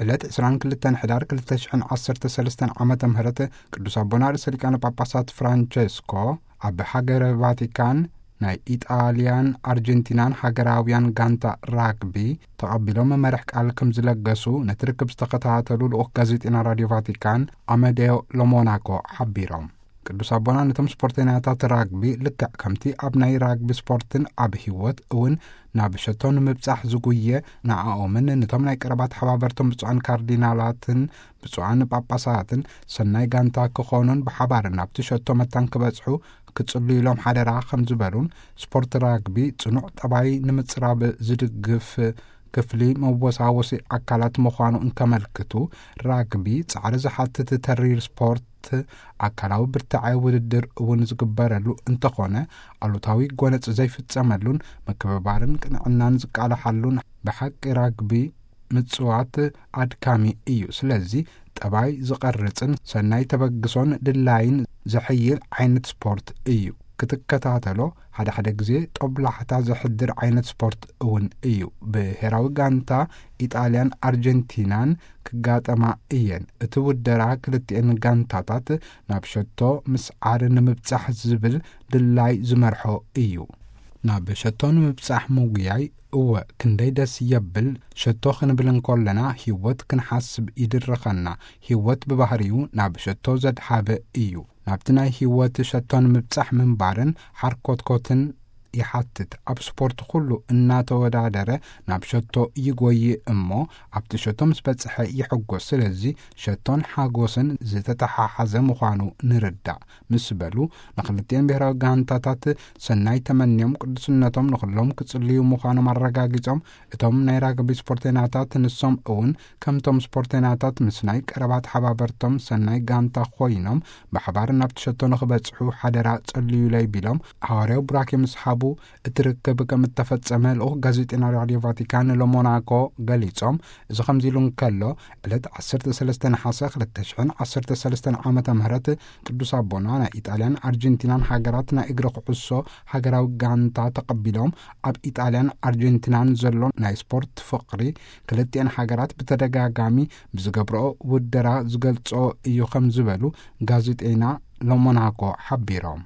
ዕለት ዕስራን ክልተን ሕዳር ክልተ ሽሕን ዓሰርተ ሰለስተን ዓመተ ምህረት ቅዱስ ኣቦና ርእሰ ሊቃነ ጳጳሳት ፍራንቸስኮ ኣብ ሃገረ ቫቲካን ናይ ኢጣልያን ኣርጀንቲናን ሃገራውያን ጋንታ ራግቢ ተቐቢሎም መመርሕ ቃል ከም ዝለገሱ ነቲ ርክብ ዝተኸታተሉ ልኡኽ ጋዜጠና ራድዮ ቫቲካን ኣመዴዮ ሎሞናኮ ሓቢሮም። ቅዱስ ኣቦና ነቶም ስፖርተኛታት ራግቢ ልክዕ ከምቲ ኣብ ናይ ራግቢ ስፖርትን ኣብ ህይወት እውን ናብ ሸቶ ንምብጻሕ ዝጉየ ንኣኦምን ነቶም ናይ ቀረባ ተሓባበርቶም ብፁዓን ካርዲናላትን ብፁዓን ጳጳሳትን ሰናይ ጋንታ ክኾኑን ብሓባር ናብቲ ሸቶ መታን ክበጽሑ ክጽልዩሎም ሓደራ ከም ዝበሉን ስፖርት ራግቢ ጽኑዕ ጠባይ ንምጽራብ ዝድግፍ ክፍሊ መወሳወሲ ኣካላት ምዃኑ እንከመልክቱ፣ ራግቢ ጻዕሪ ዝሓትት ተሪር ስፖርት ኣካላዊ ብርትዐ ውድድር እውን ዝግበረሉ እንተኾነ ኣሉታዊ ጎነጽ ዘይፍጸመሉን ምክብባርን ቅንዕናን ዝቃላሓሉን ብሓቂ ራግቢ ምጽዋት ኣድካሚ እዩ። ስለዚ ጠባይ ዝቐርጽን ሰናይ ተበግሶን ድላይን ዘሐይል ዓይነት ስፖርት እዩ። ክትከታተሎ ሓደ ሓደ ግዜ ጦብላሕታ ዘሕድር ዓይነት ስፖርት እውን እዩ። ብሄራዊ ጋንታ ኢጣልያን ኣርጀንቲናን ክጋጠማ እየን። እቲ ውደራ ክልቲኤን ጋንታታት ናብ ሸቶ ምስዓር ንምብጻሕ ዝብል ድላይ ዝመርሖ እዩ። ናብ ሸቶ ንምብጻሕ ምጉያይ እወ ክንደይ ደስ የብል። ሸቶ ክንብል እንኮለና ህይወት ክንሓስብ ይድርኸና። ህይወት ብባህሪኡ ናብ ሸቶ ዘድሃበ እዩ። ናብቲ ናይ ህይወት ሸቶ ንምብጻሕ ምንባርን ሓርኮትኮትን ይሓትት። ኣብ ስፖርት ኩሉ እናተወዳደረ ናብ ሸቶ ይጎይ እሞ ኣብቲ ሸቶ ምስ በጽሐ ይሕጎስ። ስለዚ ሸቶን ሓጎስን ዝተተሓሓዘ ምዃኑ ንርዳእ ምስ በሉ ንክልቲኤን ብሄራዊ ጋንታታት ሰናይ ተመንዮም ቅዱስነቶም ንኹሎም ክጽልዩ ምዃኖም ኣረጋጊጾም እቶም ናይ ራግቢ ስፖርተኛታት ንሶም እውን ከምቶም ስፖርተኛታት ምስ ናይ ቀረባ ተሓባበርቶም ሰናይ ጋንታ ኮይኖም ብሓባር ናብቲ ሸቶ ንኽበጽሑ ሓደራ ጸልዩለይ ቢሎም ሃዋርያዊ ቡራኬ ምስ ሃቡ እቲ ርክብ ከም እተፈጸመ ልኡኽ ጋዜጠና ራድዮ ቫቲካን ሎሞናኮ ገሊጾም። እዚ ከምዚ ኢሉ እንከሎ ዕለት ዓሰርተ ሰለስተ ነሓሰ ክልተ ሽሕን ዓሰርተ ሰለስተን ዓመተ ምህረት ቅዱስ ኣቦና ናይ ኢጣልያን ኣርጀንቲናን ሃገራት ናይ እግሪ ኩዕሶ ሃገራዊ ጋንታ ተቐቢሎም ኣብ ኢጣልያን ኣርጀንቲናን ዘሎ ናይ ስፖርት ፍቕሪ ክልቲኤን ሃገራት ብተደጋጋሚ ብዝገብርኦ ውደራ ዝገልጾ እዩ ከም ዝበሉ ጋዜጠና ሎሞናኮ ሓቢሮም።